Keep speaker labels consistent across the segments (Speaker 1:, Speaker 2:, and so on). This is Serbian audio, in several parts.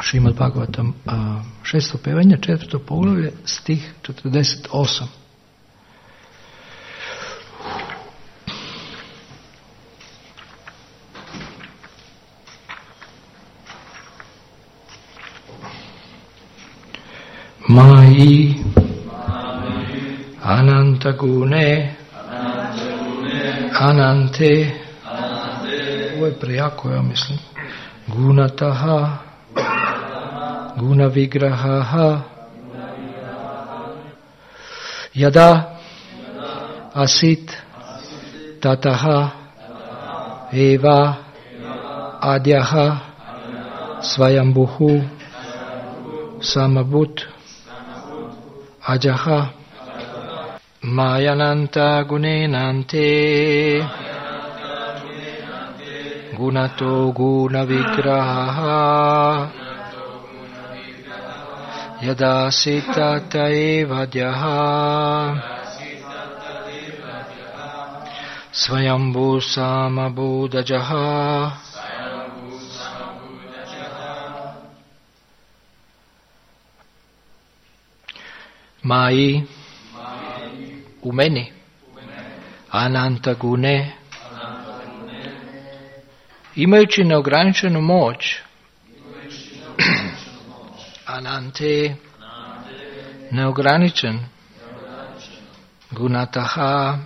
Speaker 1: Šrimad Bhagavatam, 6. pevanje, 4. poglavlje, stih 48. Mai Ananta Gune Anante. Ovo je prejako, ja mislim. Gunataha Guna Vigrahaha Yada Asit Tataha Eva Adyaha Svayambhuhu Samabhut Ajaha Mayananta Gunenante Gunato Guna Vigraha Yada Sitata Evadyaha Svayambhu Samabhudajaha. Mai u meni Ananta Gune, imajući neograničenu moć, Anante, neograničen, Gunataha,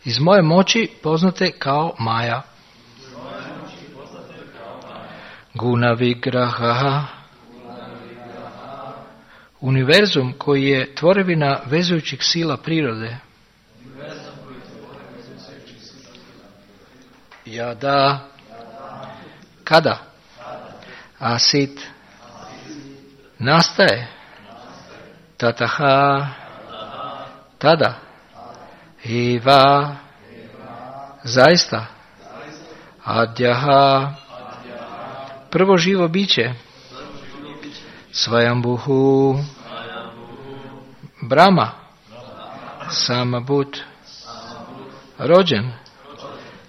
Speaker 1: iz moje moći poznate kao Maja, Guna Vigraha, univerzum koji je tvorevina vezujućih sila prirode. Yada, kada, asit, nastaje, tataha, tada, eva, zaista, adjaha, prvo živo biće, Svayambhuhu, Brahma, Samabhut, rođen,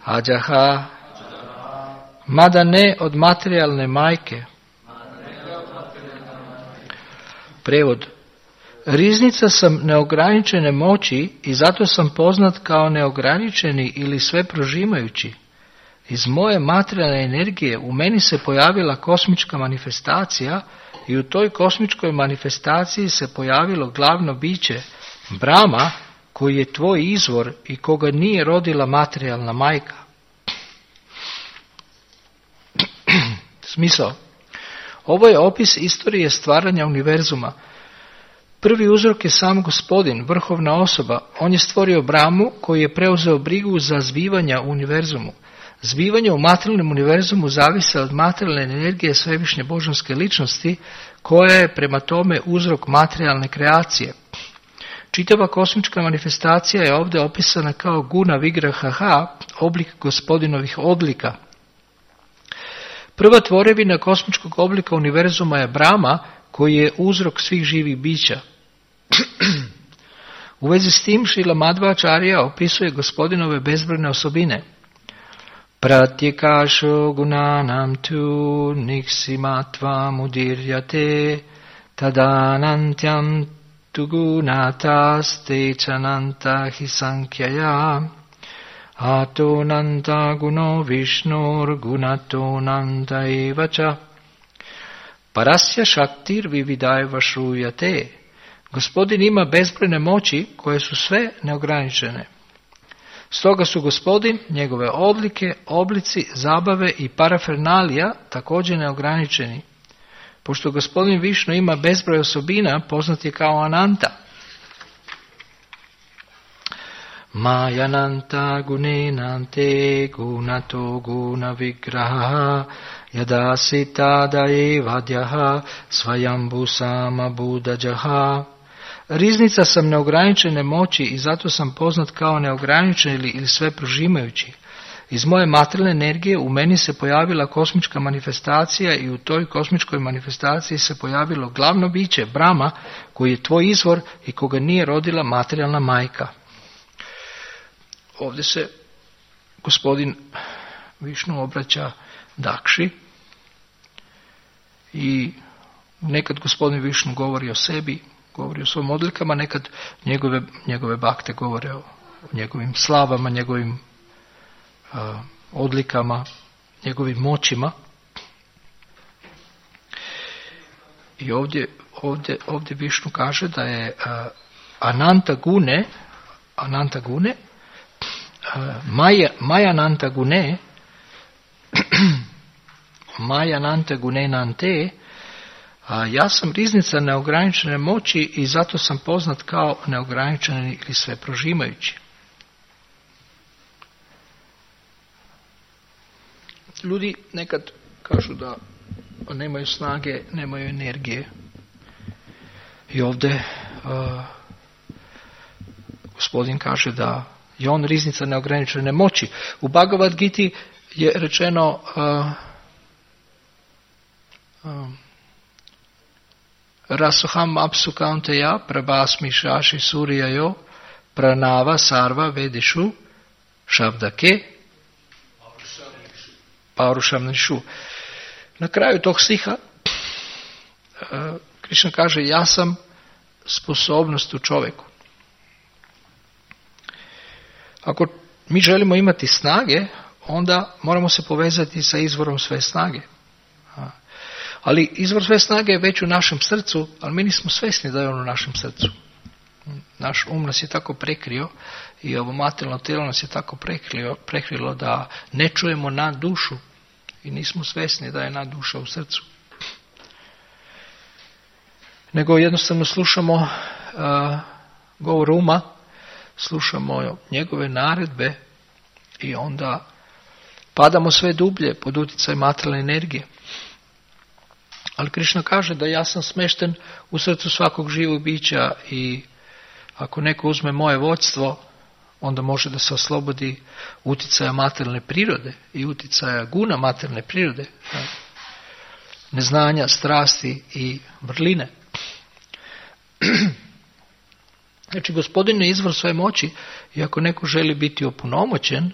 Speaker 1: Ajaha, mada ne od materijalne majke. Prevod: riznica sam neograničene moći i zato sam poznat kao neograničeni ili sve prožimajući. Iz moje materijalne energije u meni se pojavila kosmička manifestacija i u toj kosmičkoj manifestaciji se pojavilo glavno biće, Brahma, koji je tvoj izvor i koga nije rodila materijalna majka. Smisao. Ovo je opis istorije stvaranja univerzuma. Prvi uzrok je sam Gospodin, vrhovna osoba. On je stvorio Brahmu koji je preuzeo brigu za zbivanja u univerzumu. Zbivanje u materijalnom univerzumu zavise od materijalne energije svevišnje božanske ličnosti, koja je prema tome uzrok materijalne kreacije. Čitava kosmička manifestacija je ovdje opisana kao Guna Vigraha, oblik Gospodinovih odlika. Prva tvorevina kosmičkog oblika univerzuma je Brahma, koji je uzrok svih živih bića. U vezi s tim Šrila Madhvacharya opisuje Gospodinove bezbrojne osobine. Pratyekasho gunanam tu niksimatva mudirjate tadanantyam tu gunatas te chananta hisankhya atonanta guno vishnur gunatonanta evacha parasya shaktir vividaiva shruyate. Gospodin ima bezbrojne moći koje su sve neograničene. Stoga su Gospodin, njegove odlike, oblici, zabave i parafernalija također neograničeni. Pošto Gospodin Višnu ima bezbroj osobina, poznat je kao Ananta. Mayananta gunenante gunato guna vigraha yadasi tada evadyaha svayambhu samabhudajaha. Riznica sam neograničene moći i zato sam poznat kao neograničen ili sve prožimajući. Iz moje materijalne energije u meni se pojavila kosmička manifestacija i u toj kosmičkoj manifestaciji se pojavilo glavno biće, Brahma, koji je tvoj izvor i koga nije rodila materijalna majka. Ovdje se gospodin Višnu obraća Dakši I nekad gospodin Višnu govori o sebi, govori o svojim odlikama, nekad njegove bakte govore o njegovim slavama, njegovim odlikama, njegovim moćima. I ovdje Višnu kaže da je Ananta Gune, Maya Ananta Gune, Maya Ananta Gune Nante, ja sam riznica neograničene moći i zato sam poznat kao neograničeni ili sve prožimajući. Ljudi nekad kažu da nemaju snage, nemaju energije. I ovdje gospodin kaže da je on riznica neograničene moći. U Bhagavad Giti je rečeno Rasoham apsu kaunteya prabhasmi shashi suryayo pranava sarva vedišu šabdake paurušam nišu. Na kraju tog stiha Krišna kaže ja sam sposobnost u čovjeku. Ako mi želimo imati snage, onda moramo se povezati sa izvorom sve snage. Ali izvor sve snage je već u našem srcu, ali mi nismo svjesni da je on u našem srcu. Naš um nas je tako prekrio i ovo materijalno tijelo nas je tako prekrilo da ne čujemo nad dušu i nismo svjesni da je nad duša u srcu. Nego jednostavno slušamo govor uma, slušamo njegove naredbe i onda padamo sve dublje pod utjecaj materijalne energije. Ali Krišna kaže da ja sam smješten u srcu svakog živog bića i ako neko uzme moje vodstvo, onda može da se oslobodi utjecaja materijalne prirode i utjecaja guna materijalne prirode, neznanja, strasti i vrline. Znači, Gospodin je izvor svoje moći i ako neko želi biti opunomoćen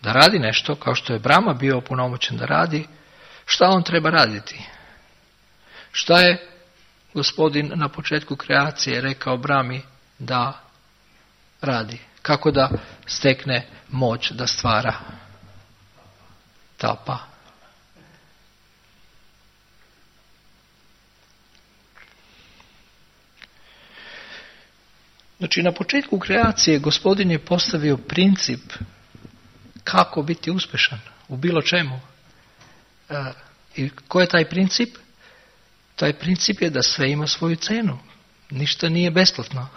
Speaker 1: da radi nešto, kao što je Brahma bio opunomoćen da radi, šta on treba raditi? Šta je Gospodin na početku kreacije rekao Brahmi da radi? Kako da stekne moć da stvara? Tapa. Znači, na početku kreacije Gospodin je postavio princip kako biti uspješan u bilo čemu. I koji je taj princip? Taj princip je da sve ima svoju cenu. Ništa nije besplatno.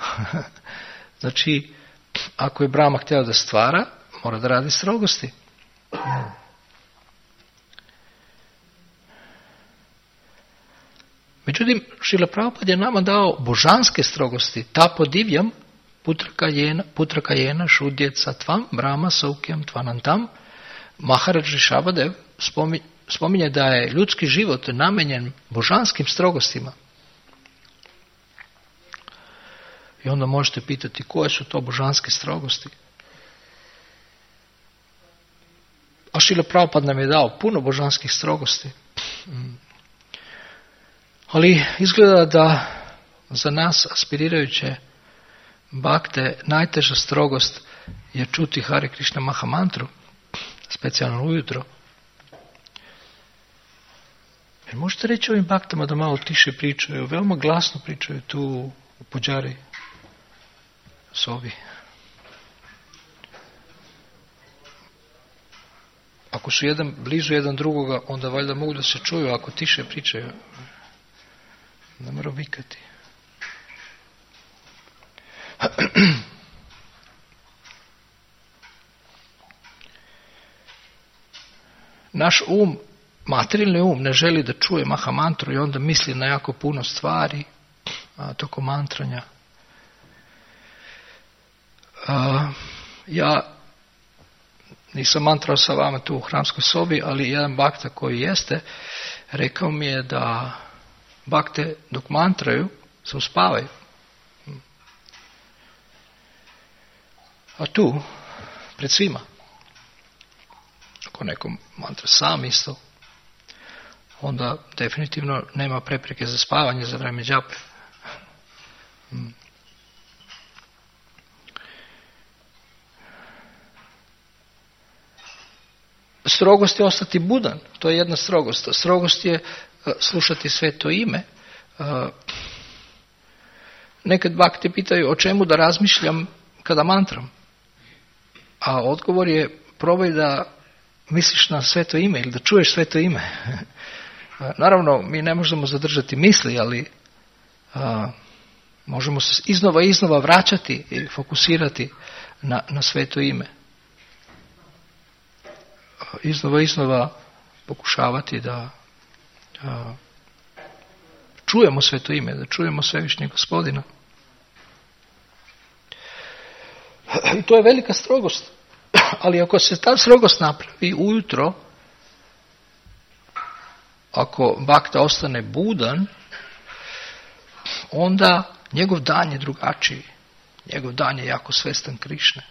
Speaker 1: Znači, ako je Brahma htio da stvara, mora da radi strogosti. Međutim, Šrila Prabhupada je nama dao božanske strogosti. Tapo divjam, putraka jena, šudjet satvam, Brahma saukjam tvanantam. Maharaj Rishabhadev spominje da je ljudski život namenjen božanskim strogostima. I onda možete pitati koje su to božanske strogosti. A Šrila Prabhupada nam je dao puno božanskih strogosti. Ali izgleda da za nas aspirirajuće bakte najteža strogost je čuti Hare Krishna Mahamantru, specijalno ujutro. Jer možete reći ovim baktama da malo tiše pričaju, veoma glasno pričaju tu u puđari sobi. Ako su blizu jedan drugoga, onda valjda mogu da se čuju, ako tiše pričaju. Ne mora vikati. Naš materijalni um ne želi da čuje Mahamantru i onda misli na jako puno stvari tokom mantranja. Ja nisam mantrao sa vama tu u hramskoj sobi, ali jedan bakta koji jeste, rekao mi je da bakte dok mantraju se uspavaju. A tu, pred svima, ako neko mantra sam isto, onda definitivno nema prepreke za spavanje za vrijeme džape. Strogost je ostati budan, to je jedna strogost. Strogost je slušati sveto ime. Nekad bakti pitaju o čemu da razmišljam kada mantram. A odgovor je probaj da misliš na sveto ime ili da čuješ sveto ime. Naravno, mi ne možemo zadržati misli, ali možemo se iznova vraćati i fokusirati na sveto ime. Iznova pokušavati da čujemo sveto ime, da čujemo svevišnjeg Gospodina. I to je velika strogost. Ali ako se ta strogost napravi ujutro, ako bakta ostane budan, onda njegov dan je drugačiji. Njegov dan je jako svestan Krišne.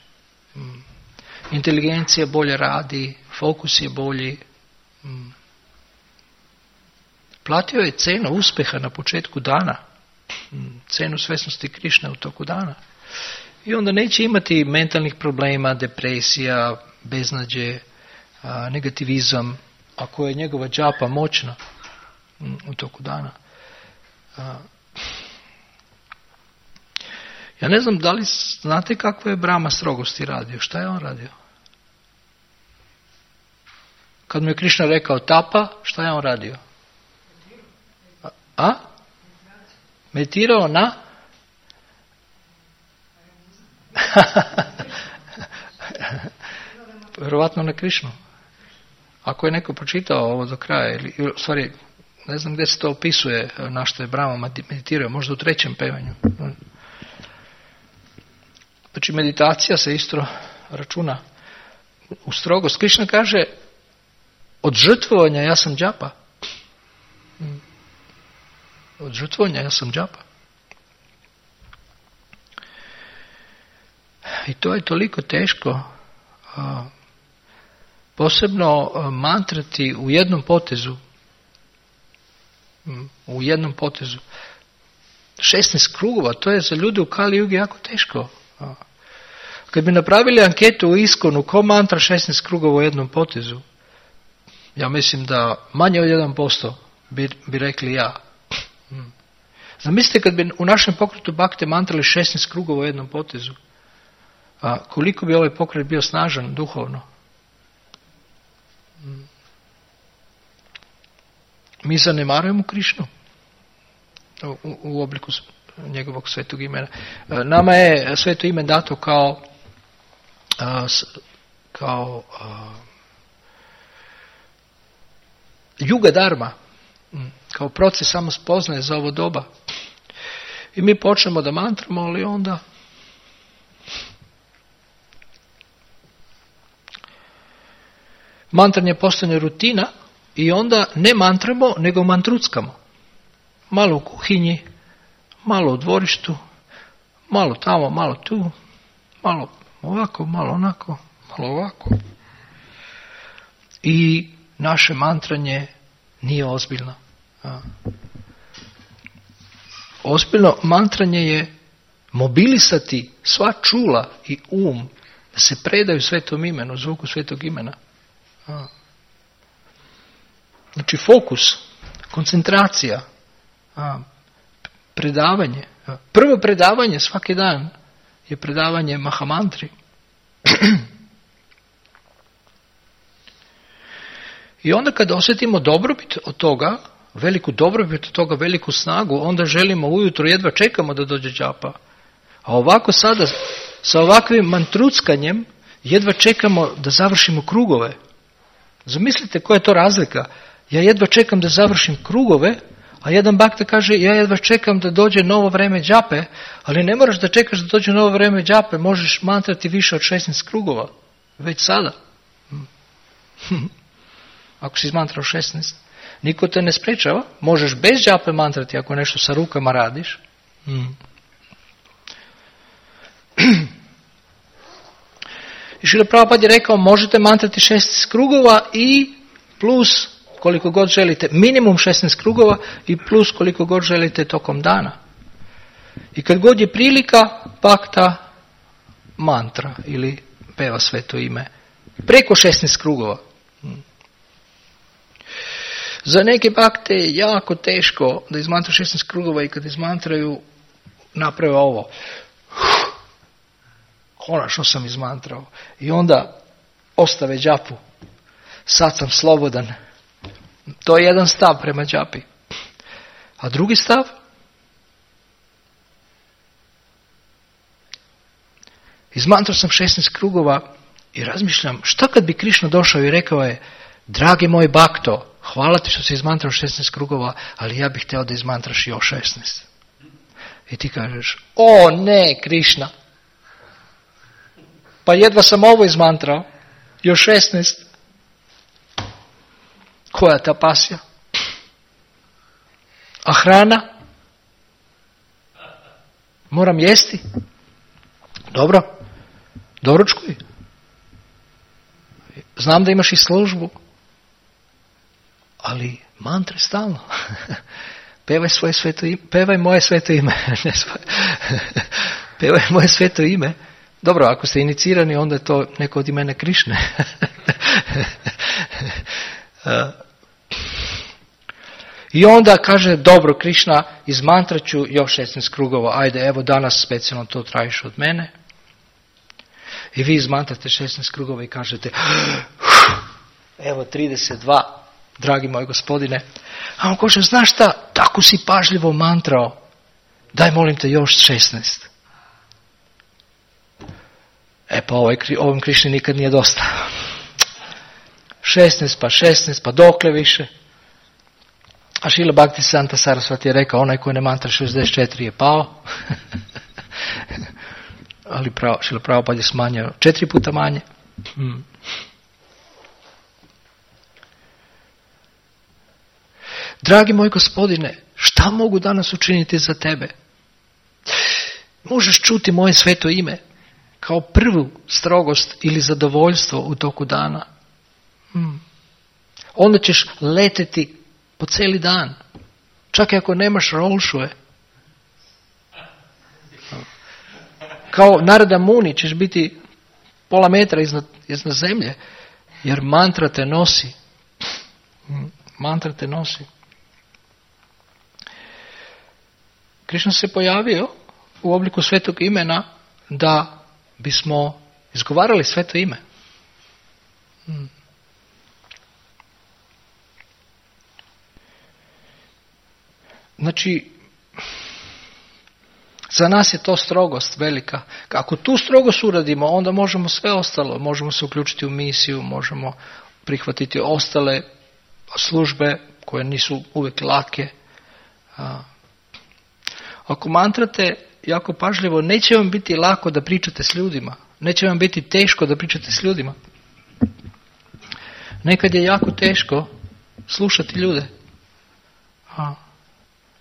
Speaker 1: Inteligencija bolje radi, fokus je bolji. Platio je cenu uspjeha na početku dana. Cenu svesnosti Krišne u toku dana. I onda neće imati mentalnih problema, depresija, beznađe, negativizam, ako je njegova džapa moćna u toku dana. Ja ne znam da li znate kako je Brahma strogosti radio. Šta je on radio? Kad mu je Krišna rekao tapa, šta je on radio? Meditirao na? Vjerovatno na Krišnu. Ako je neko pročitao ovo do kraja, ili stvari, ne znam gdje se to opisuje, na što je Brahma meditirao, možda u 3. pevanju. Znači meditacija se isto računa u strogost. Krišna kaže, od žrtvovanja ja sam džapa. Od žrtvovanja ja sam džapa. I to je toliko teško, posebno mantrati u jednom potezu. U jednom potezu. 16 krugova, to je za ljude u Kali Jugi jako teško. Kad bi napravili anketu u Iskonu, ko mantra 16 krugova u jednom potezu, ja mislim da manje od 1% bi rekli ja. Zamislite kad bi u našem pokretu bakte mantrali 16 krugova u jednom potezu. Koliko bi ovaj pokret bio snažan duhovno? Mi zanemarujemo Krišnu u obliku njegovog svetog imena. Nama je sveto ime dato kao juga dharma, kao proces samospoznaje za ovo doba. I mi počnemo da mantramo, ali onda mantranje postane rutina i onda ne mantramo, nego mantruckamo. Malo u kuhinji, malo u dvorištu, malo tamo, malo tu, malo ovako, malo onako, malo ovako. I naše mantranje nije ozbiljno. Ozbiljno mantranje je mobilisati sva čula i da se predaju svetom imenu, zvuku svetog imena. Znači fokus, koncentracija, predavanje. Prvo predavanje svaki dan je predavanje Mahamantri. I onda kad osjetimo dobrobit od toga, veliku dobrobit od toga, veliku snagu, onda želimo ujutro, jedva čekamo da dođe džapa. A ovako sada, sa ovakvim mantruckanjem, jedva čekamo da završimo krugove. Zamislite koja je to razlika. Ja jedva čekam da završim krugove, a jedan bakta kaže, ja jedva čekam da dođe novo vreme džape, ali ne moraš da čekaš da dođe novo vreme džape, možeš mantrati više od 16 krugova. Već sada. Ako si izmantrao 16. Niko te ne sprečava. Možeš bez džape mantrati ako nešto sa rukama radiš. I Šrila Prabhupada je rekao, možete mantrati 16 krugova i plus koliko god želite, minimum 16 krugova i plus koliko god želite tokom dana. I kad god je prilika, bakta mantra ili peva sveto ime. Preko 16 krugova. Za neke bakte je jako teško da izmantraju 16 krugova i kad izmantraju naprave ovo. Konačno sam izmantrao. I onda ostave džapu. Sad sam slobodan. To je jedan stav prema džapi. A drugi stav? Izmantrao sam 16 krugova i razmišljam šta kad bi Krišna došao i rekao je dragi moj bakto, hvala ti što si izmantrao 16 krugova, ali ja bih htio da izmantraš još 16. I ti kažeš, o ne Krišna, pa jedva sam ovo izmantrao, još 16. Koja ta pasija? A hrana? Moram jesti? Dobro, doručkuj. Znam da imaš i službu, ali mantre stalno. Pevaj svoje sveto ime, pevaj moje sveto ime. Pevaj moje sveto ime. Dobro, ako ste inicirani, onda je to neko od imena Krišne. I onda kaže, dobro Krišna, izmantraću još 16 krugova, ajde, evo danas specijalno to tražiš od mene. I vi izmantrate 16 krugova i kažete, evo 32, dragi moj gospodine. A on kaže, znaš šta, tako si pažljivo mantrao, daj molim te još 16. E pa ovom Krišni nikad nije dosta. 16 pa dokle više. A Šrila Bhaktisanta Sarasvati je rekao, onaj koji ne mantra 64 je pao. Ali Šrila Prabhupada je smanjio 4 puta manje. Dragi moj gospodine, šta mogu danas učiniti za tebe? Možeš čuti moje sveto ime kao prvu strogost ili zadovoljstvo u toku dana. Onda ćeš leteti po cijeli dan. Čak i ako nemaš rolšuje. Kao Narada Muni ćeš biti pola metra iznad zemlje. Jer mantra te nosi. Mantra te nosi. Krišna se pojavio u obliku svetog imena da bismo izgovarali sveto ime. Znači, za nas je to strogost velika. Ako tu strogost uradimo, onda možemo sve ostalo. Možemo se uključiti u misiju, možemo prihvatiti ostale službe koje nisu uvijek lake. Ako mantrate jako pažljivo, neće vam biti lako da pričate s ljudima. Neće vam biti teško da pričate s ljudima. Nekad je jako teško slušati ljude.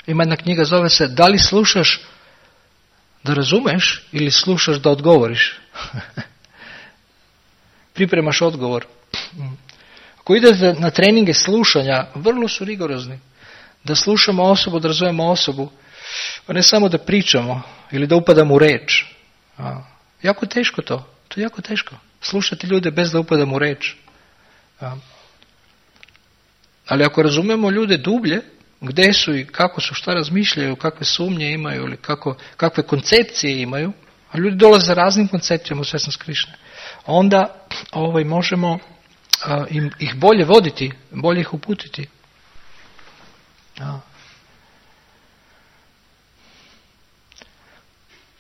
Speaker 1: Ima jedna knjiga, zove se Da li slušaš da razumeš ili slušaš da odgovoriš? Pripremaš odgovor. Ako idete na treninge slušanja, vrlo su rigorozni. Da slušamo osobu, da razumemo osobu, a ne samo da pričamo ili da upadamo u reč. Jako teško to. To je jako teško. Slušati ljude bez da upadamo u reč. Ali ako razumemo ljude dublje, gdje su i kako su, šta razmišljaju, kakve sumnje imaju ili kakve koncepcije imaju, a ljudi dolaze raznim koncepcijama u svjesnost Krišne, onda možemo ih bolje voditi, bolje ih uputiti.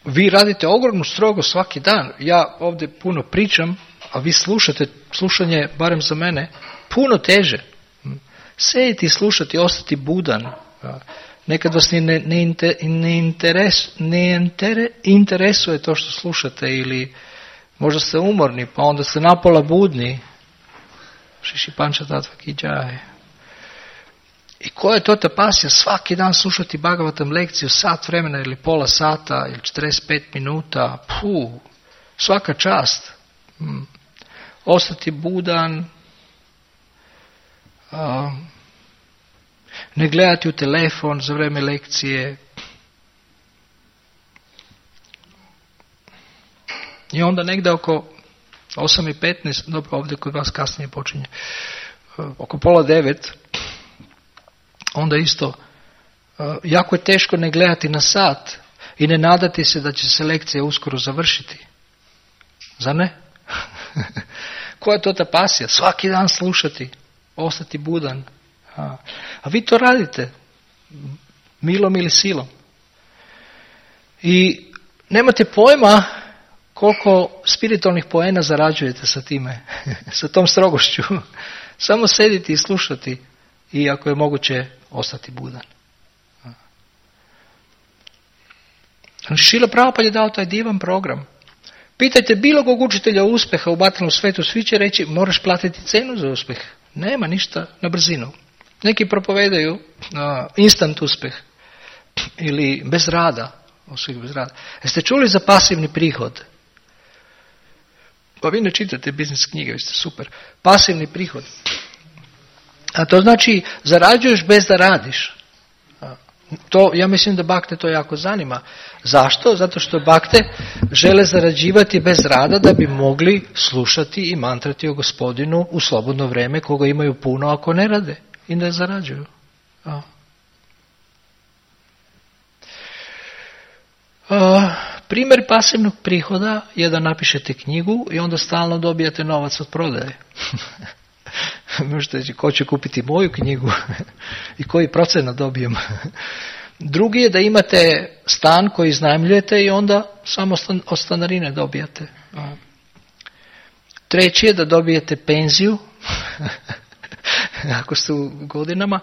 Speaker 1: Vi radite ogromnu strogost svaki dan. Ja ovdje puno pričam, a vi slušate, slušanje, barem za mene, puno teže. Sjediti i slušati, ostati budan. Nekad vas ne interesuje to što slušate ili možda ste umorni, pa onda ste napola budni. Šiši panča tatva ki džaj. I koja je to ta pasija? Svaki dan slušati Bhagavatam lekciju, sat vremena ili pola sata ili 45 minuta. Svaka čast. Ostati budan. ne gledati u telefon za vrijeme lekcije. I onda negdje oko 8:15, dobro, ovdje kod vas kasnije počinje, oko 8:30, onda isto, jako je teško ne gledati na sat i ne nadati se da će se lekcija uskoro završiti. Zar ne? Koja je to ta pasija? Svaki dan slušati, ostati budan. A vi to radite, milom ili silom. I nemate pojma koliko spiritualnih poena zarađujete sa time, sa tom strogošću. Samo sediti i slušati i ako je moguće ostati budan. Šrila Prabhupada je dao taj divan program. Pitajte bilo kog učitelja uspjeha u materijalnom svijetu, svi će reći moraš platiti cenu za uspjeh. Nema ništa na brzinu. Neki propovedaju instant uspjeh ili bez rada. Bez rada. Jeste čuli za pasivni prihod? Pa vi ne čitate biznis knjige, vi ste super. Pasivni prihod. A to znači zarađuješ bez da radiš. To, ja mislim da bakte to jako zanima. Zašto? Zato što bakte žele zarađivati bez rada da bi mogli slušati i mantrati o Gospodinu u slobodno vrijeme koga imaju puno ako ne rade i ne zarađuju. Primjer pasivnog prihoda je da napišete knjigu i onda stalno dobijate novac od prodaje. Možete reći, ko će kupiti moju knjigu i koji procenat dobijem. Drugi je da imate stan koji iznajmljujete i onda samo od stanarine dobijate. Treći je da dobijete penziju, ako ste u godinama,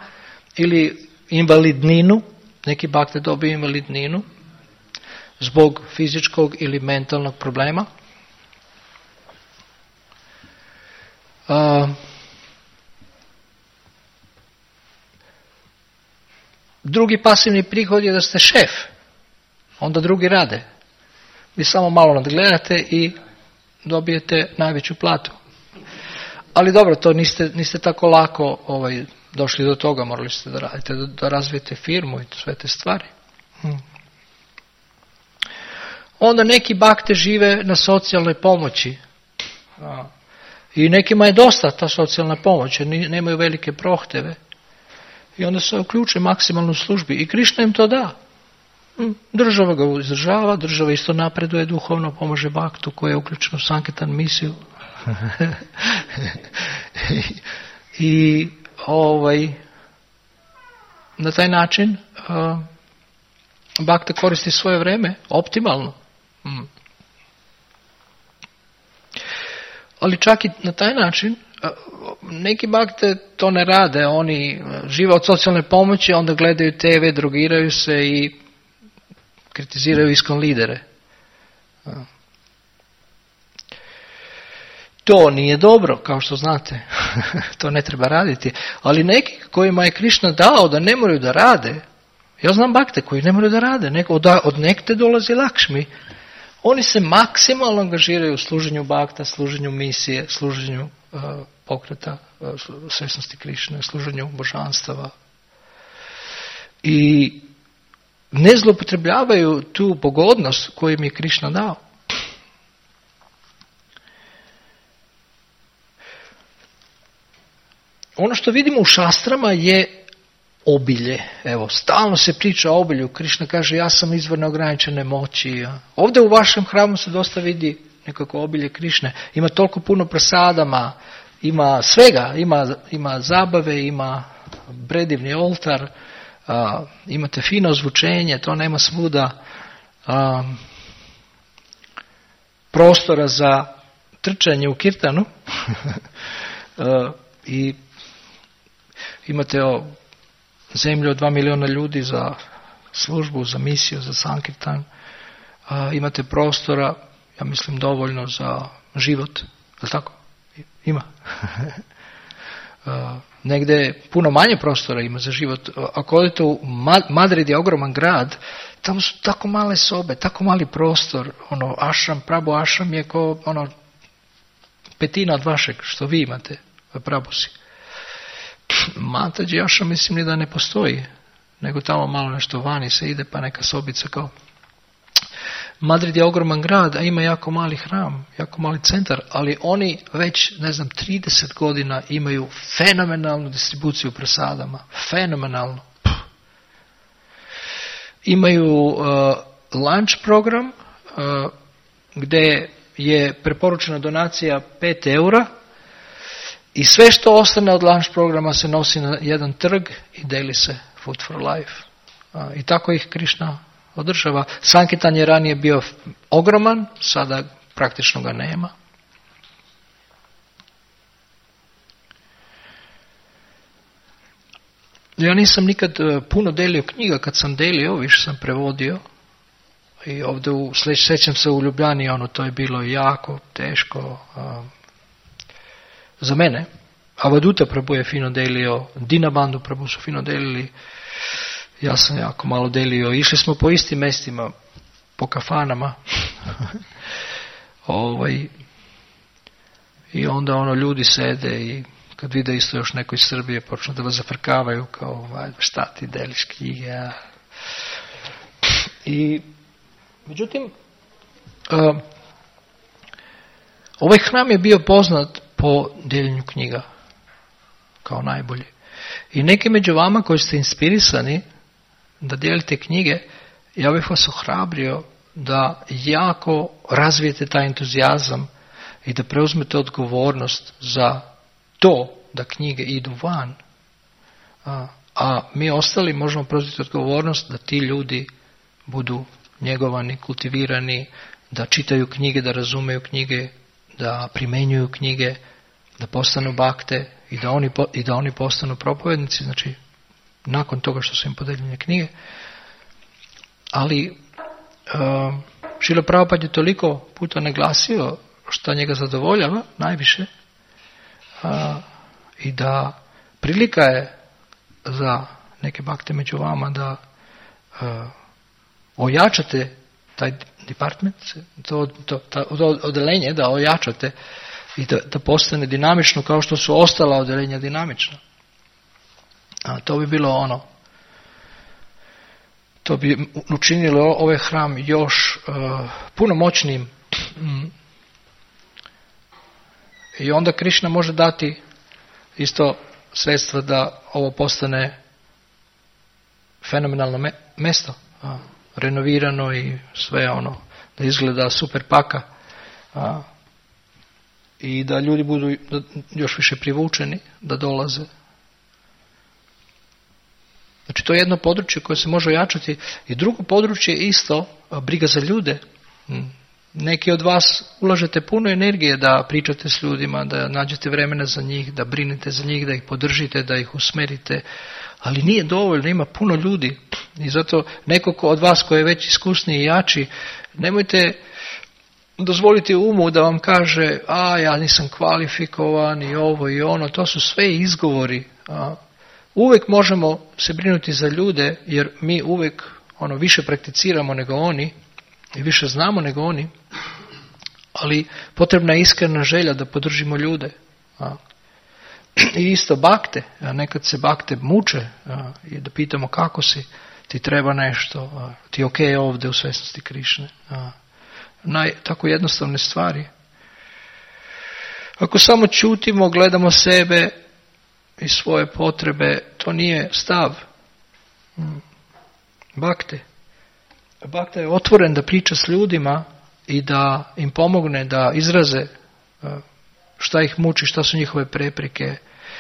Speaker 1: ili invalidninu, neki bakte dobiju invalidninu, zbog fizičkog ili mentalnog problema. Drugi pasivni prihod je da ste šef. Onda drugi rade. Vi samo malo nadgledate i dobijete najveću platu. Ali dobro, to niste tako lako došli do toga. Morali ste da radite, da razvijete firmu i sve te stvari. Onda neki bakte žive na socijalnoj pomoći. I nekima je dosta ta socijalna pomoć, jer nemaju velike prohteve. I onda se uključe maksimalno u službi. I Krišna im to da. Država ga izdržava, država isto napreduje duhovno, pomaže baktu koji je uključen u Sankirtan misiju. I na taj način bakta koristi svoje vrijeme optimalno. Ali čak i na taj način neki bakte to ne rade, oni žive od socijalne pomoći, onda gledaju TV, drogiraju se i kritiziraju iskon lidere. To nije dobro, kao što znate. To ne treba raditi. Ali neki kojima je Krišna dao da ne moraju da rade, ja znam bakte koji ne moraju da rade, od nekte dolazi Lakšmi, oni se maksimalno angažiraju u služenju bakta, služenju misije, služenju pokreta svjesnosti Krišne, služenju božanstava. I ne zloupotrebljavaju tu pogodnost koju im je Krišna dao. Ono što vidimo u šastrama je obilje. Evo, stalno se priča o obilju. Krišna kaže, ja sam izvor neograničene moći. Ovdje u vašem hramu se dosta vidi nekako obilje Krišne. Ima toliko puno prasadama, ima svega. Ima zabave, ima predivni oltar, imate fino zvučenje, to nema svuda. Prostora za trčanje u kirtanu. I imate zemlju od 2 miliona ljudi za službu, za misiju, za Sankirtan. Imate prostora, ja mislim, dovoljno za život. Je tako? Ima. Negdje puno manje prostora ima za život. Ako odete u Madrid je ogroman grad, tamo su tako male sobe, tako mali prostor. Ašram, Prabhu ašram je ko 1/5 od vašeg što vi imate, Prabhusi. Mataji Ashram mislim ni da ne postoji, nego tamo malo nešto vani se ide, pa neka sobica kao. Madrid je ogroman grad, a ima jako mali hram, jako mali centar, ali oni već, 30 godina imaju fenomenalnu distribuciju prasadama. Fenomenalno. Imaju lunch program gdje je preporučena donacija 5 eura i sve što ostane od lunch programa se nosi na jedan trg i deli se Food for Life. I tako ih Krishna održava. Sankitan je ranije bio ogroman, sada praktično ga nema. Ja nisam nikad puno delio knjiga, kad sam delio, više sam prevodio. I ovdje sjećam se u Ljubljani, to je bilo jako teško za mene. Avaduta Prabhu je fino delio, Dinabandhu Prabhu su fino delili, ja sam jako malo delio. Išli smo po istim mjestima, po kafanama. I onda ljudi sede i kad vide isto još neko iz Srbije počnu da vas zafrkavaju kao šta ti deliš knjige. I međutim, ovaj hram je bio poznat po deljenju knjiga kao najbolji. I neki među vama koji ste inspirisani da dijelite knjige, ja bih vas ohrabrio da jako razvijete taj entuzijazam i da preuzmete odgovornost za to da knjige idu van. A mi ostali možemo preuzeti odgovornost da ti ljudi budu njegovani, kultivirani, da čitaju knjige, da razumeju knjige, da primenjuju knjige, da postanu bakte i da oni postanu propovednici, znači nakon toga što su im podeljene knjige. Ali Šrila Prabhupada je toliko puta naglasio što njega zadovoljava najviše i da prilika je za neke bakte među vama da ojačate taj department, to odelenje, da ojačate i da postane dinamično kao što su ostala odelenja dinamična. To bi bilo to bi učinilo ovaj hram još puno moćnim. I onda Krishna može dati isto sredstva da ovo postane fenomenalno mjesto, renovirano i sve da izgleda super paka, i da ljudi budu još više privučeni da dolaze. Znači to je jedno područje koje se može ojačati. I drugo područje je isto briga za ljude. Neki od vas ulažete puno energije da pričate s ljudima, da nađete vremena za njih, da brinete za njih, da ih podržite, da ih usmerite, ali nije dovoljno, ima puno ljudi. I zato neko od vas koji je već iskusniji i jači, nemojte dozvoliti umu da vam kaže ja nisam kvalifikovan i ovo i ono, to su sve izgovori. Uvijek možemo se brinuti za ljude, jer mi uvijek više prakticiramo nego oni i više znamo nego oni, ali potrebna je iskrena želja da podržimo ljude. I isto bakte, nekad se bakte muče i da pitamo kako si, ti treba nešto, ti ok ovdje u svjesnosti Krišne. Tako jednostavne stvari. Ako samo čutimo, gledamo sebe i svoje potrebe, to nije stav bakte. Bakta je otvoren da priča s ljudima i da im pomogne da izraze šta ih muči, šta su njihove prepreke,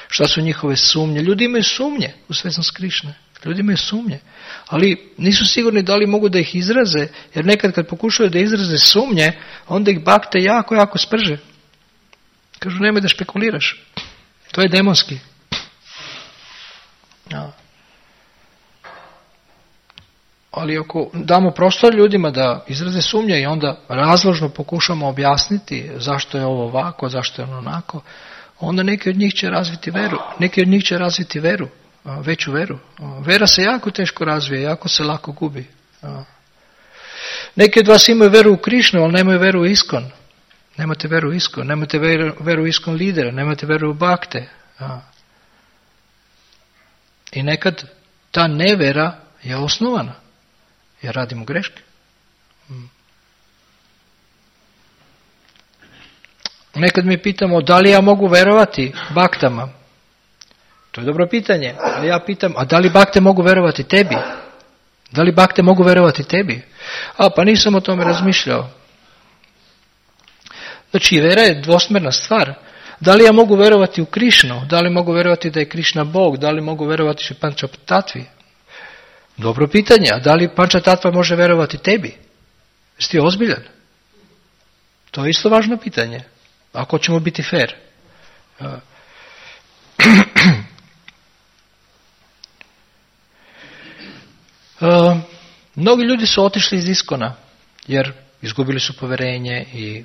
Speaker 1: šta su njihove sumnje. Ljudi imaju sumnje u svjesnost Krišne. Ljudi imaju sumnje. Ali nisu sigurni da li mogu da ih izraze, jer nekad kad pokušaju da izraze sumnje, onda ih bakte jako, jako sprže. Kažu, nemoj da špekuliraš. To je demonski. Ali ako damo prostor ljudima da izraze sumnje i onda razložno pokušamo objasniti zašto je ovo ovako, zašto je ono onako, onda neki od njih će razviti veru. Neki od njih će razviti veru, veću veru. Vera se jako teško razvije, jako se lako gubi. Neki od vas imaju veru u Krišnu, ali nemaju veru u Iskon. Nemate veru u Iskon, nemate veru u Iskon lidera, nemate veru u bakte. I nekad ta nevjera je osnovana. Jer radimo greške. Nekad mi pitamo da li ja mogu verovati baktama. To je dobro pitanje. A ja pitam, a da li bakte mogu verovati tebi? Da li bakte mogu verovati tebi? Pa nisam o tome razmišljao. Znači, vera je dvosmjerna stvar. Da li ja mogu verovati u Krišnu? Da li mogu verovati da je Krišna Bog? Da li mogu verovati u Pančatatvi? Dobro pitanje. A da li Pančatatva može verovati tebi? Jesi ti ozbiljan? To je isto važno pitanje. Ako ćemo biti fair. Mnogi ljudi su otišli iz Iskona jer izgubili su povjerenje i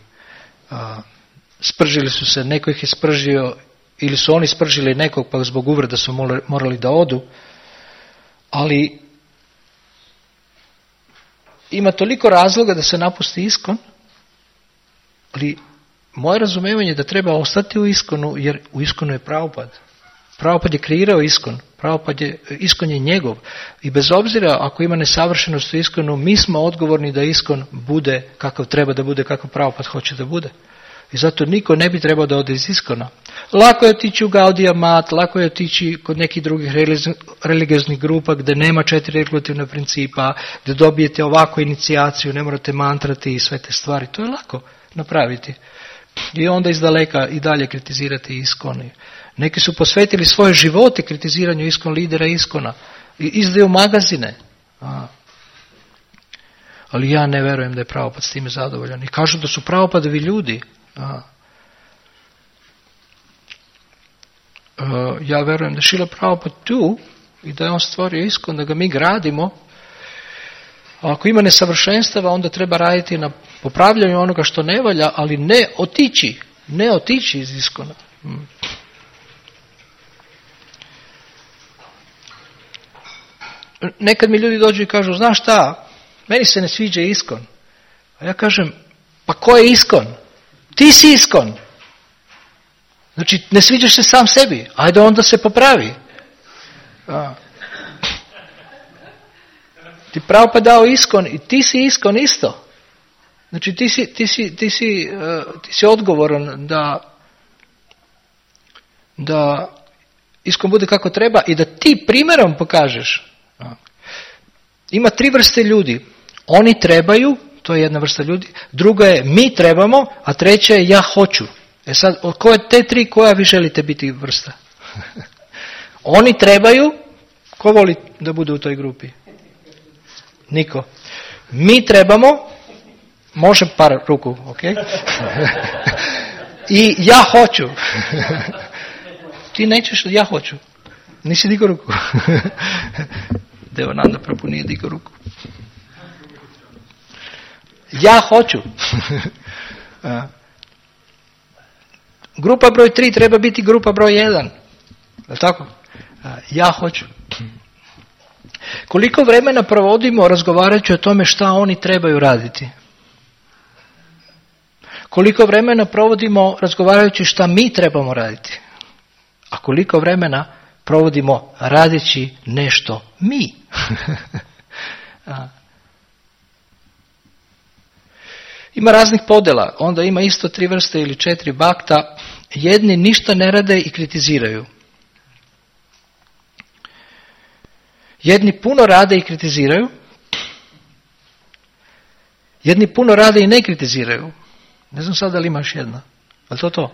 Speaker 1: spržili su se, neko ih je spržio ili su oni spržili nekog pa zbog uvreda su morali da odu, ali ima toliko razloga da se napusti Iskon, ali moje razumijevanje je da treba ostati u Iskonu jer u Iskonu je Prabhupada. Prabhupada je kreirao Iskon. Iskon je njegov. I bez obzira ako ima nesavršenost u Iskonu, mi smo odgovorni da Iskon bude kakav treba da bude, kakav Prabhupada hoće da bude. I zato niko ne bi trebao da ode iz Iskona. Lako je otići u Gaudiya Mat, lako je otići kod nekih drugih religioznih grupa gdje nema 4 regulativna principa, gdje dobijete ovako inicijaciju, ne morate mantrati i sve te stvari. To je lako napraviti. I onda iz daleka i dalje kritizirati Iskon. Neki su posvetili svoje živote kritiziranju Iskon lidera Iskona. I izdaju magazine. Ali ja ne verujem da je Prabhupada s time zadovoljan. I kažu da su Prabhupadovi ljudi. Ja verujem da je Šrila Prabhupada tu i da je on stvorio Iskon, da ga mi gradimo. A ako ima nesavršenstava, onda treba raditi na popravljanju onoga što ne valja, ali ne otići iz Iskona. Nekad mi ljudi dođu i kažu, znaš šta, meni se ne sviđa Iskon. A ja kažem, pa ko je Iskon? Ti si Iskon. Znači, ne sviđaš se sam sebi. Ajde onda se popravi. Ti Prabhupada dao Iskon i ti si Iskon isto. Znači, ti si odgovoran da Iskon bude kako treba i da ti primjerom pokažeš. Ima 3 vrste ljudi. Oni trebaju, to je jedna vrsta ljudi, druga je mi trebamo, a treća je ja hoću. Sad, od koje te 3 koja vi želite biti vrsta? Oni trebaju, ko voli da bude u toj grupi? Niko. Mi trebamo, može par ruku, ok? I ja hoću. Ti nećeš, ja hoću. Nisi digao ruku. Devananda Prabhu nije digao ruku. Ja hoću. Grupa broj 3 treba biti grupa broj 1. Je tako? Ja hoću. Koliko vremena provodimo razgovarajući o tome šta oni trebaju raditi? Koliko vremena provodimo razgovarajući šta mi trebamo raditi? A koliko vremena provodimo radeći nešto mi? Ima raznih podjela, onda ima isto 3 vrste ili 4 bakta. Jedni ništa ne rade i kritiziraju. Jedni puno rade i kritiziraju. Jedni puno rade i ne kritiziraju. Ne znam sad da li imaš jedna. Ali to?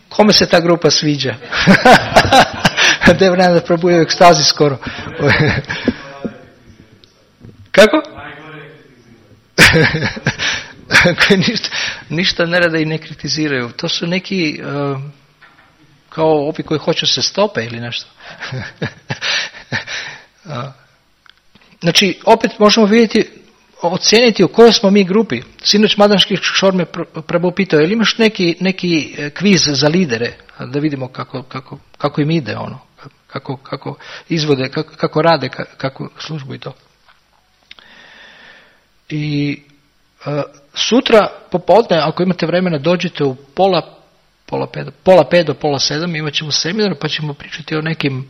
Speaker 1: Kome se ta grupa sviđa? Devananda Prabhu je u ekstazi skoro. Kako? Koji ništa ne rade i ne kritiziraju. To su neki kao ovi koji hoće se stope ili nešto. Znači, opet možemo vidjeti, ocijeniti u kojoj smo mi grupi. Sinoć Madanški Kishor me Prabhu pitao, je li imaš neki kviz za lidere, da vidimo kako im ide ono, kako izvode, kako rade, kako službu i to. I sutra popodne, ako imate vremena, dođite u pola 5 do pola 7, imat ćemo seminar pa ćemo pričati o nekim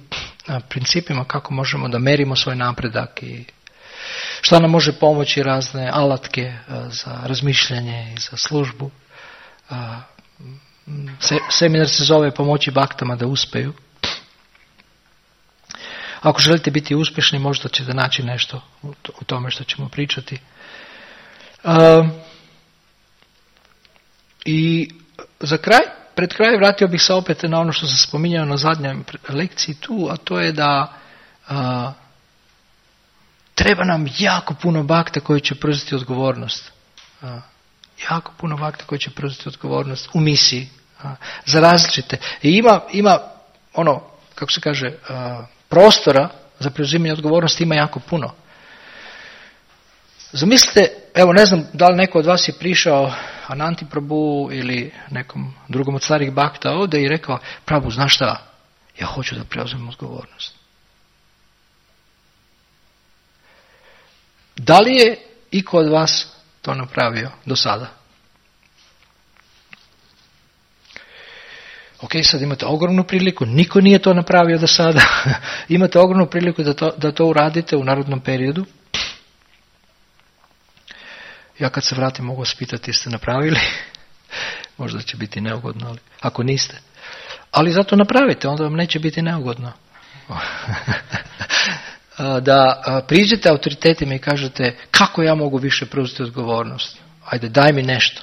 Speaker 1: principima kako možemo da merimo svoj napredak i šta nam može pomoći, razne alatke za razmišljanje i za službu. Seminar se zove Pomoći baktama da uspeju. Ako želite biti uspješni, možda ćete naći nešto u tome što ćemo pričati. I za kraj, pred kraj vratio bih se opet na ono što sam spominjao na zadnjoj lekciji tu, a to je da treba nam jako puno bakta koji će preuzeti odgovornost. Jako puno bakta koji će preuzeti odgovornost u misiji. Za različite. I ima ono, kako se kaže, prostora za preuzimanje odgovornosti ima jako puno. Zamislite, evo ne znam da li neko od vas je prišao Ananti Prabhu ili nekom drugom od starih bakta ovdje i rekao, Prabhu, znaš šta, ja hoću da preuzmem odgovornost. Da li je iko od vas to napravio do sada? Ok, sad imate ogromnu priliku, niko nije to napravio do sada, imate ogromnu priliku da to uradite u narodnom periodu. Ja kad se vratim mogu vas pitati jeste napravili, možda će biti neugodno, ali ako niste. Ali zato napravite, onda vam neće biti neugodno. Da priđete autoritetima i kažete kako ja mogu više preuzeti odgovornost. Ajde, daj mi nešto.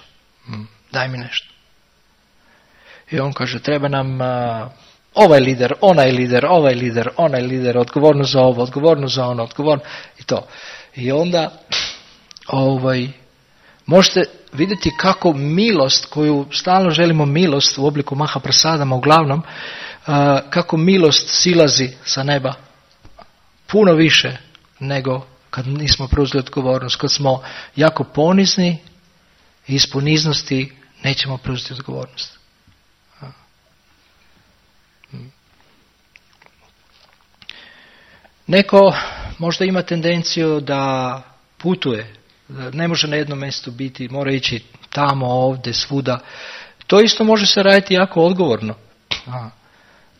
Speaker 1: Daj mi nešto. I on kaže, treba nam ovaj lider, onaj lider, ovaj lider, onaj lider, odgovornost za ovo, odgovornost za ono, odgovornost i to. I onda možete vidjeti kako milost, koju stalno želimo milost u obliku Mahaprasadama uglavnom, kako milost silazi sa neba puno više nego kad nismo preuzeli odgovornost, kad smo jako ponizni i iz poniznosti nećemo preuzeti odgovornost. Neko možda ima tendenciju da putuje, da ne može na jednom mjestu biti, mora ići tamo, ovdje, svuda. To isto može se raditi jako odgovorno.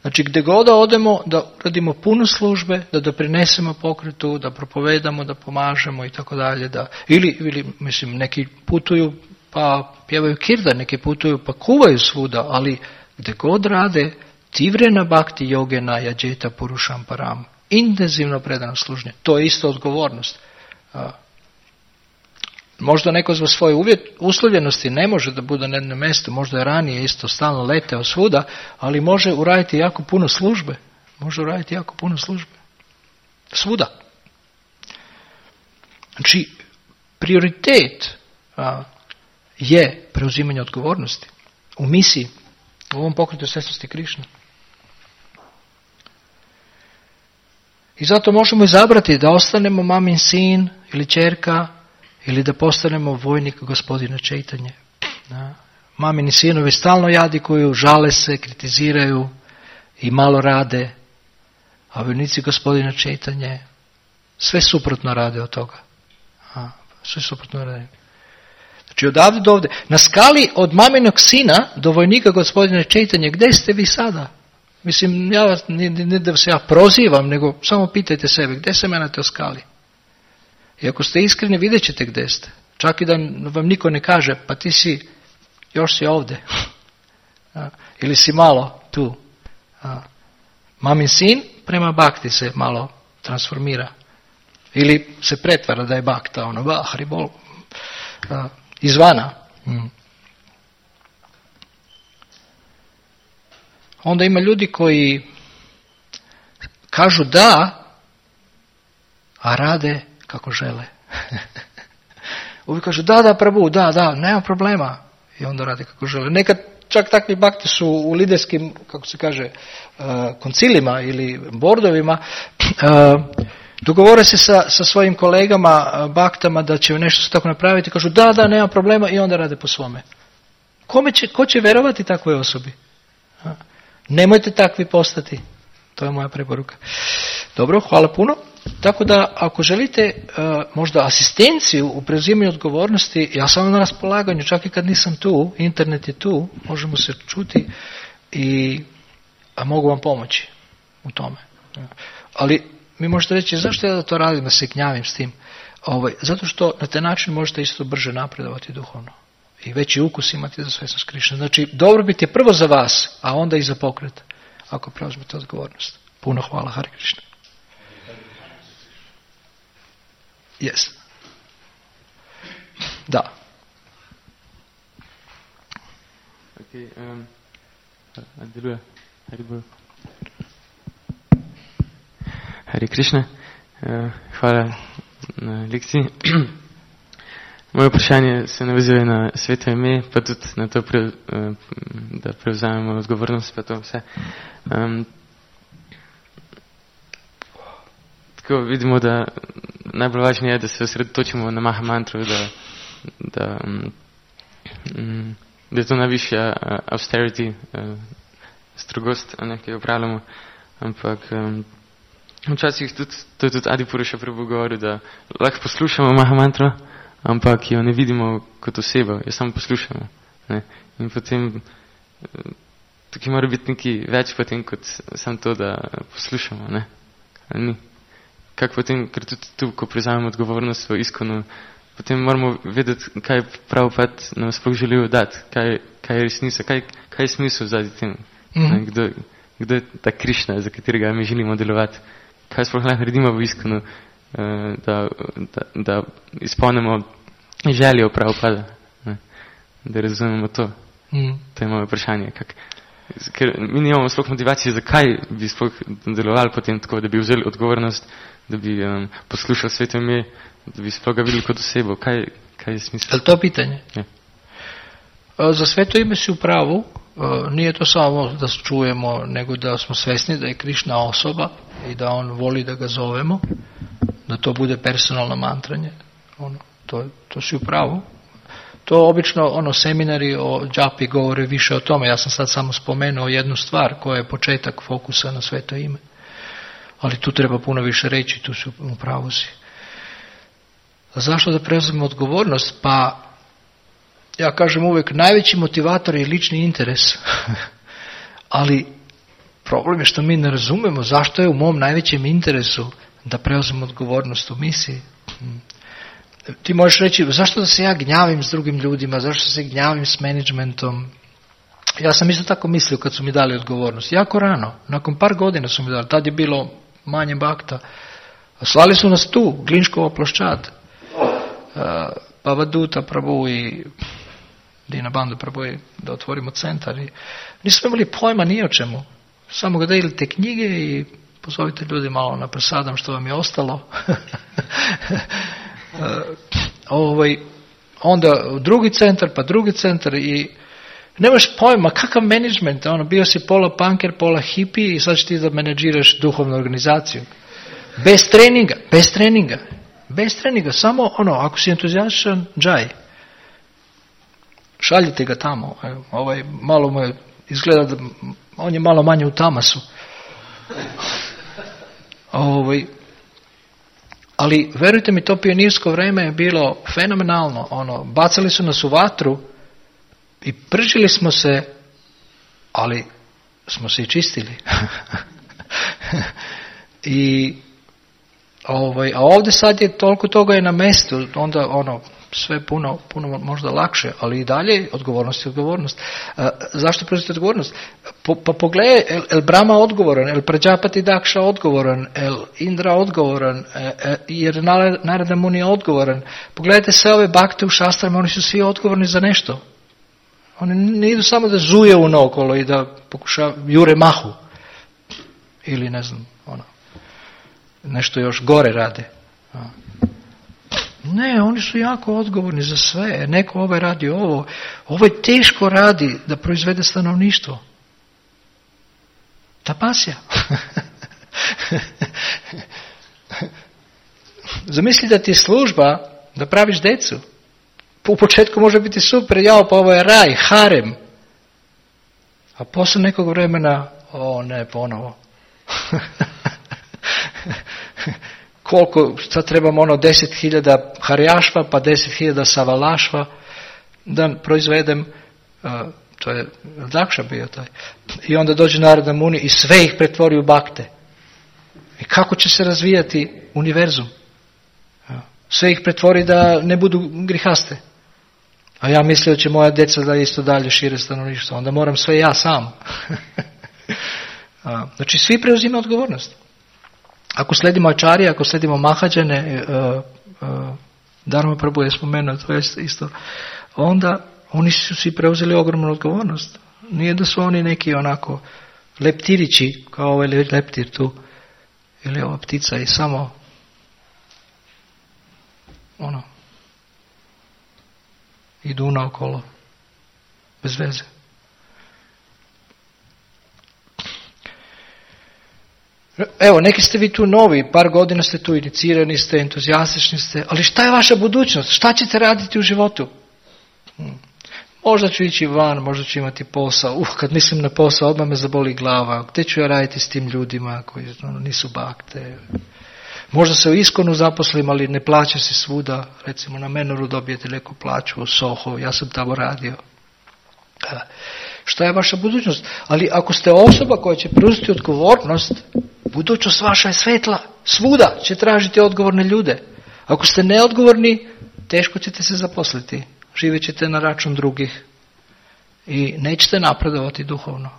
Speaker 1: Znači gdje god da odemo, da uradimo puno službe, da doprinesemo pokretu, da propovedamo, da pomažemo i tako dalje. Ili mislim, neki putuju pa pjevaju kirtan, neki putuju pa kuvaju svuda, ali gdje god rade, tivrena bhakti yogena yajeta purusham param. Intenzivno predano služenje. To je isto odgovornost. Možda neko zbog svoje uslovljenosti ne može da bude na jednom mjestu, možda je ranije isto stalno leteo svuda, ali može uraditi jako puno službe. Može uraditi jako puno službe. Svuda. Znači, prioritet je preuzimanje odgovornosti u misiji, u ovom pokretu svjesnosti Krišne. I zato možemo izabrati da ostanemo mamin sin ili ćerka ili da postanemo vojnik gospodina Čejtanje. Mamini sinovi stalno jadikuju, žale se, kritiziraju i malo rade, a vojnici gospodina Čejtanje sve suprotno rade od toga. Sve suprotno rade. Znači odavde do ovdje. Na skali od maminog sina do vojnika gospodina Čejtanje, gdje ste vi sada? Mislim, ja vas, ne da se ja prozivam, nego samo pitajte sebe, gdje se menate o skali? I ako ste iskreni, vidjet ćete gdje ste. Čak i da vam niko ne kaže, pa ti si, još si ovdje. Ili si malo tu. Mamin sin prema bhakti se malo transformira. Ili se pretvara da je bhakta, haribol, izvana. Onda ima ljudi koji kažu da, a rade kako žele. Uvijek kažu da, Prabhu, da, nema problema. I onda rade kako žele. Nekad čak takvi bakti su u liderskim, kako se kaže, koncilima ili bordovima, dogovore se sa svojim kolegama, baktama da će nešto se tako napraviti, kažu da, nema problema i onda rade po svome. Ko će verovati takvoj osobi? Nemojte takvi postati. To je moja preporuka. Dobro, hvala puno. Tako da ako želite možda asistenciju u preuzimanju odgovornosti, ja sam na raspolaganju, čak i kad nisam tu, internet je tu, možemo se čuti a mogu vam pomoći u tome. Ali mi možete reći, zašto ja da to radim, da se gnjavim s tim? Zato što na taj način možete isto brže napredovati duhovno i veći ukus imati za svjesnost Krišne. Znači, dobrobit je prvo za vas, a onda i za pokret, ako preuzmete odgovornost. Puno hvala, Hare Krišna. Yes. Da.
Speaker 2: Okay, Hare Hare Krišna. Hvala na lekciji. Moje vprašanje se navezuje na sveto ime, pa tudi na to, da prevzamemo odgovornost, pa to vse. Tako vidimo, da najbolj važno je, da se osredotočimo na Maha mantro, da je to najvišja austerity, strogost, ki jo upravljamo, ampak včasih to je tudi Adi Puruša Prabhu govoril, da lahko poslušamo Maha mantro, ampak jo ne vidimo kot osebo, jo samo poslušamo. Ne? In potem tukaj mora biti nekaj več potem, kot samo to, da poslušamo. Ne? Ni. Kak potem, ker tudi tu, ko prevzamemo odgovornost v iskonu, potem moramo vedeti, kaj Prabhupada nam sploh želijo dati, kaj je resnica, kaj je smisel zadnji tem. Kdo je ta Krišna, za katerega mi želimo delovati, kaj sploh lahko naredimo v iskonu, da izpolnimo željo Prabhupada, da razumemo to. To je moje vprašanje. Ker mi nimamo sploh motivacije, zakaj bi sploh delovali potem tako, da bi vzeli odgovornost, da bi poslušali sveto ime, da bi sploh ga videli kot osebo. Kaj je smisel?
Speaker 1: Je li to pitanje?
Speaker 2: Ja.
Speaker 1: Za sveto ime si u pravu. Nije to samo da čujemo, nego da smo svjesni da je Krišna osoba i da on voli da ga zovemo, da to bude personalno mantranje. To si u pravu. To obično seminari o džapi govore više o tome. Ja sam sad samo spomenuo jednu stvar koja je početak fokusa na sveto ime. Ali tu treba puno više reći, tu si u pravu si. A zašto da preuzmemo odgovornost? Pa ja kažem uvijek, najveći motivator je lični interes. Ali problem je što mi ne razumemo zašto je u mom najvećem interesu da preuzmem odgovornost u misiji. Ti možeš reći, zašto da se ja gnjavim s drugim ljudima, zašto se gnjavim s menadžmentom? Ja sam isto tako mislio kad su mi dali odgovornost. Jako rano, nakon par godina su mi dali, tad je bilo manje bakta. Slali su nas tu, Glinškova ploščad. Pavaduta Prabhu i Dina Bandhu Prabhu da otvorimo centar. I nismo imali pojma ni o čemu. Samo ga delite knjige i pozovite ljudi malo na prasadam što vam je ostalo. Onda drugi centar, pa drugi centar i nemaš pojma kakav menadžment, bio si pola punker, pola hippie i sad ćeš ti da menadžiraš duhovnu organizaciju. Bez treninga, samo ako si entuzijastičan, džaj. Šaljite ga tamo. Malo mu je, izgleda da on je malo manje u tamasu. Ali verujte mi, to pionirsko vreme je bilo fenomenalno. Bacali su nas u vatru i pržili smo se, ali smo se i čistili. A ovdje sad je toliko toga je na mestu, onda sve puno možda lakše, ali i dalje odgovornost je odgovornost. Zašto preuzeti odgovornost? Pa pogledaj, el Brahma odgovoran, el Prajapati Daksha odgovoran, el Indra odgovoran, jer Narada Muni je odgovoran. Pogledajte sve ove bakte u šastrama, oni su svi odgovorni za nešto. Oni ne idu samo da zuje unaokolo i da jure mahu. Ili ne znam, nešto još gore rade. Ne, oni su jako odgovorni za sve. Neko radi ovo. Ovo je teško radi da proizvede stanovništvo. Tapasja. Zamisli da ti je služba da praviš decu. U početku može biti super, pa ovo je raj, harem. A posle nekog vremena, ne, ponovo. koliko, sad trebamo 10.000 harjašva, pa 10.000 savalašva, da proizvedem, to je Dakša bio taj. I onda dođe Narada Muni i sve ih pretvori u bakte. I kako će se razvijati univerzum? Sve ih pretvori da ne budu grihaste. A ja mislio će moja djeca da isto dalje šire stanovništvo. Onda moram sve ja sam. Znači svi preuzimaju odgovornost. Ako sledimo ačarije, ako sledimo mahađane, Dharma Prabhu je spomenuo, to je isto, onda oni su svi preuzeli ogromnu odgovornost. Nije da su oni neki onako leptirići, kao ovaj leptir tu, ili ova ptica i samo idu naokolo, bez veze. Evo, neki ste vi tu novi, par godina ste tu, inicirani ste, entuzijastični ste, ali šta je vaša budućnost? Šta ćete raditi u životu? Možda ću ići van, možda ću imati posao. Kad mislim na posao, odmah me zaboli glava. Gdje ću ja raditi s tim ljudima koji nisu bakte? Možda se u Iskonu zaposlim, ali ne plaća se svuda. Recimo na Menoru dobijete neku plaću u Soho, ja sam tamo radio. Šta je vaša budućnost? Ali ako ste osoba koja će preuzeti odgovornost, budućnost vaša je svetla. Svuda će tražiti odgovorne ljude. Ako ste neodgovorni, teško ćete se zaposliti. Živjet ćete na račun drugih i nećete napredovati duhovno.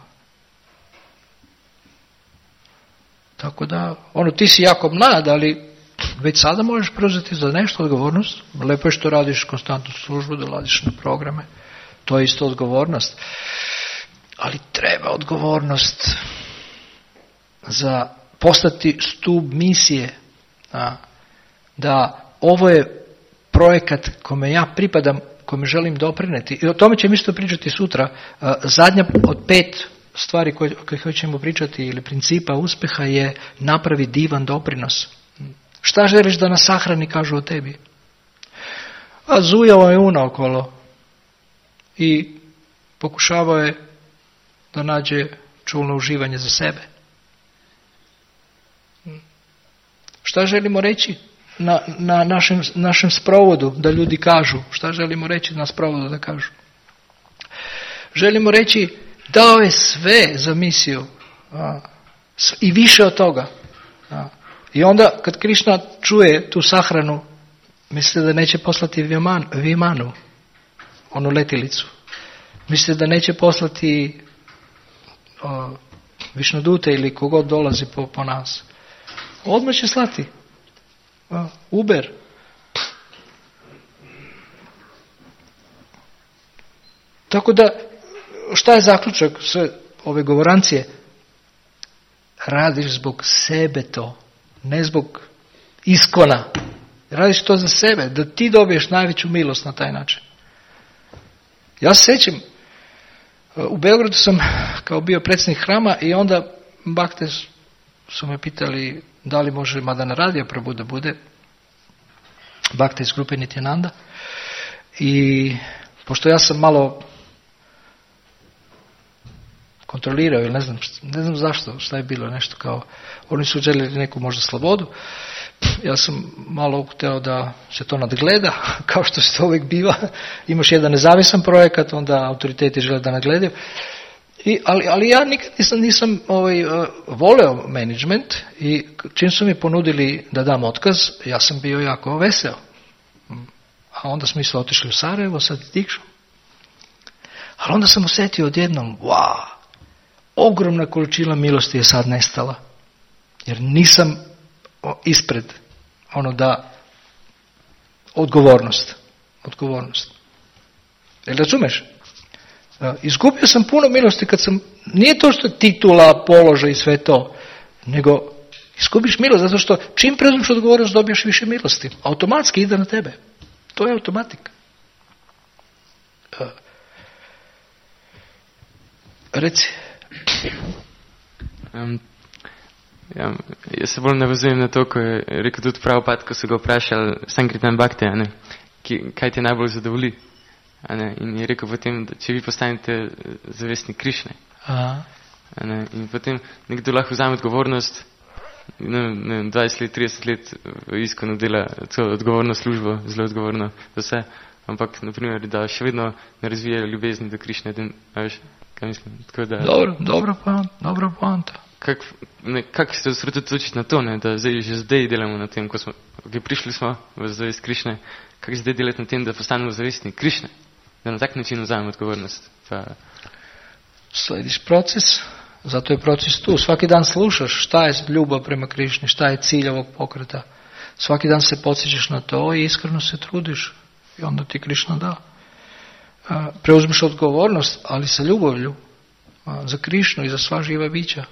Speaker 1: Tako da, ti si jako mlad, ali već sada možeš preuzeti za nešto odgovornost. Lepo je što radiš konstantnu službu, dolaziš na programe. To je isto odgovornost. Ali treba odgovornost za postati stup misije. Da ovo je projekat kome ja pripadam, kome želim doprineti. I o tome ćemo isto pričati sutra. Zadnja od 5 stvari koje hoćemo pričati ili principa uspjeha je napravi divan doprinos. Šta želiš da nas sahrani, kažu o tebi? A zujao je unaokolo i pokušavao je da nađe čulno uživanje za sebe. Šta želimo reći na našem sprovodu da ljudi kažu? Šta želimo reći na sprovodu da kažu? Želimo reći dao je sve za misiju i više od toga. I onda kad Krišna čuje tu sahranu, misli da neće poslati Vimanu, onu letilicu. Misli da neće poslati Višnudute ili kogod dolazi po nas. Odmah će slati Uber. Tako da, šta je zaključak sve ove govorancije? Radiš zbog sebe to, ne zbog Iskona. Radiš to za sebe, da ti dobiješ najveću milost na taj način. Ja se sjećam, u Beogradu sam kao bio predsjednik hrama i onda bakte su me pitali da li može Madana Radio Prabhu da bude, bakte iz grupe Nityananda. I pošto ja sam malo kontrolirao ili ne znam zašto, šta je bilo, nešto kao, oni su željeli neku možda slobodu, ja sam malo htio da se to nadgleda, kao što se to uvijek biva, imaš jedan nezavisan projekat, onda autoriteti žele da nadgledaju, ali ja nikad nisam voleo management i čim su mi ponudili da dam otkaz, ja sam bio jako veseo. A onda smo isto otišli u Sarajevo, sad i Dikšu. Ali onda sam osjetio odjednom, ogromna količina milosti je sad nestala. Jer nisam ispred odgovornost. Jel razumeš? Izgubio sam puno milosti kad sam, nije to što titula, položaj i sve to, nego izgubiš milost zato što čim preuzmeš odgovornost dobiješ više milosti. Automatski ide na tebe. To je automatika. Reci.
Speaker 2: Jaz se bolj navezujem na to, ko je rekel tudi Prabhupada, ko so ga vprašali Sankirtan Bhakti, kaj te najbolj zadovolji. In je rekel potem, da če vi postanete zavestnik Krišne. In potem nekdo lahko vzame odgovornost 20 let, 30 let v Iskonu dela celo odgovorno službo, zelo odgovorno za vse, ampak, naprimer, da še vedno ne razvijajo ljubezni do Krišne, veš, kaj mislim? Tako da,
Speaker 1: dobra poanta.
Speaker 2: Kako se osredotočiti na to, ne, da že zdaj delamo na tem, prišli smo v zavest Krišne, kako zdaj delati na tem, da postanemo zavestni Krišne, da na tak način vzamemo odgovornost?
Speaker 1: Slediš proces, zato je proces tu. Svaki dan slušaš šta je ljubav prema Krišni, šta je cilj ovog pokreta. Svaki dan se podsjećaš na to i iskreno se trudiš i onda ti Krišna da. Preuzmiš odgovornost, ali sa ljubavlju za Krišnu i za sva živa bića.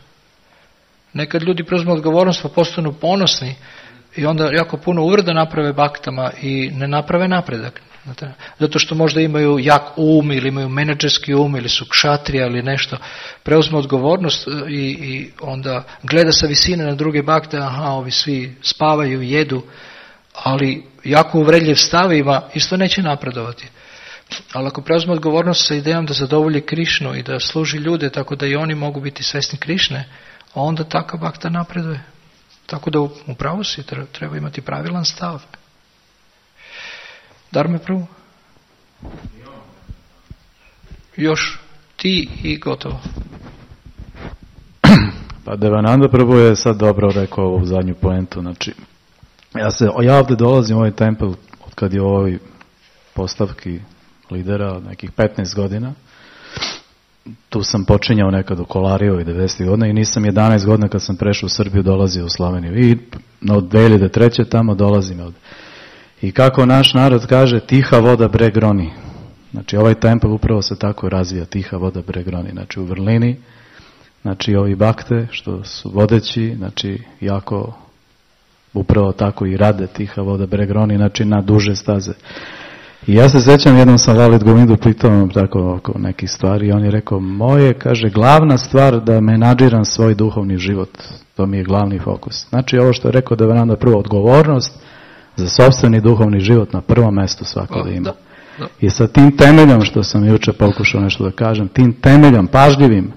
Speaker 1: Nekad ljudi preuzmu odgovornost pa postanu ponosni i onda jako puno uvreda naprave baktama i ne naprave napredak. Zato što možda imaju jak um ili imaju menadžerski um ili su kšatrija ili nešto. Preuzmu odgovornost i onda gleda sa visine na druge bakte, ovi svi spavaju, jedu, ali jako uvredljiv stav ima, isto neće napredovati. Ali ako preuzme odgovornost sa idejom da zadovolji Krišnu i da služi ljude tako da i oni mogu biti svesni Krišne, onda takav bakta napreduje. Tako da upravo si treba imati pravilan stav. Darme prvo. Još ti i gotovo.
Speaker 3: Pa Devananda Prabhu je sad dobro rekao ovu zadnju poentu. Znači, ja ovdje dolazim u ovaj tempel od kad je u ovoj postavki lidera od nekih 15 godina. Tu sam počinjao nekad u Kolariju i 90. godina i nisam 11 godina kad sam prešao u Srbiju dolazio u Sloveniju. I od 2003. tamo dolazim od. I kako naš narod kaže, tiha voda breg roni. Znači ovaj tempel upravo se tako razvija, tiha voda breg roni. Znači u vrlini, znači ovi bakte što su vodeći, znači jako upravo tako i rade tiha voda breg roni, znači na duže staze. I ja se sjećam, jednom sam Lalit Govindu pitao tako oko nekih stvari i on je rekao, moje, kaže, glavna stvar da menadžiram svoj duhovni život, to mi je glavni fokus. Znači ovo što je rekao Devananda prvo, odgovornost za sopstveni duhovni život na prvom mjestu svako da ima. Da. I sa tim temeljom, što sam jučer pokušao nešto da kažem, tim temeljom, pažljivim,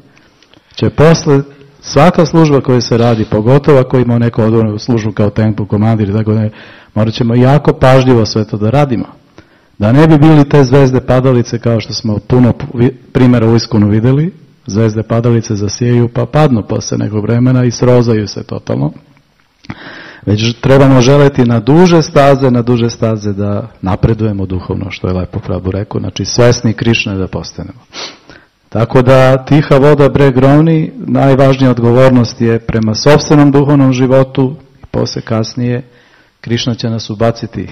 Speaker 3: će posle svaka služba koja se radi, pogotovo ako ima neku odgovornu službu kao tempo, komandir i tako da morat ćemo jako pažljivo sve to da radimo. Da ne bi bili te zvezde padalice kao što smo puno primjera u Iskonu vidjeli, zvezde padalice zasjeju pa padnu posle nekog vremena i srozaju se totalno. Već trebamo želeti na duže staze da napredujemo duhovno, što je lepo Prabhu rekao, znači svesni Krišne da postanemo. Tako da tiha voda breg rovni, najvažnija odgovornost je prema sopstvenom duhovnom životu i posle kasnije Krišna će nas ubaciti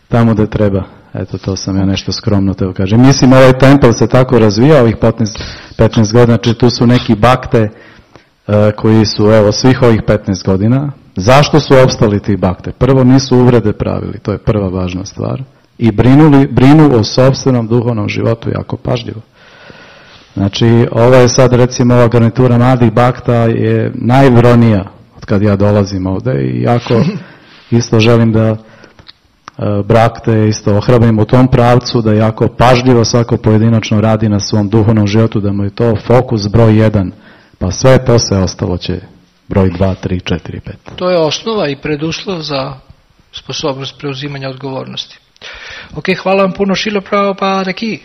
Speaker 3: tamo da treba. Eto, to sam ja nešto skromno teo kažem. Mislim, ovaj tempel se tako razvija ovih 15 godina, znači tu su neki bakte koji su, evo, svih ovih 15 godina. Zašto su opstali ti bakte? Prvo, nisu uvrede pravili, to je prva važna stvar. I brinu o sopstvenom duhovnom životu jako pažljivo. Znači, ovo je sad, recimo, ova garnitura mladih bakta je najvronija od kad ja dolazim ovde i jako isto želim da brakte isto ohrabrim u tom pravcu, da jako pažljivo svako pojedinačno radi na svom duhovnom životu, da mu je to fokus broj 1, pa sve posle ostalo će broj 2, 3, 4, 5.
Speaker 1: To je osnova i preduslov za sposobnost preuzimanja odgovornosti. Ok, hvala vam puno, Šrila Prabhupada ki.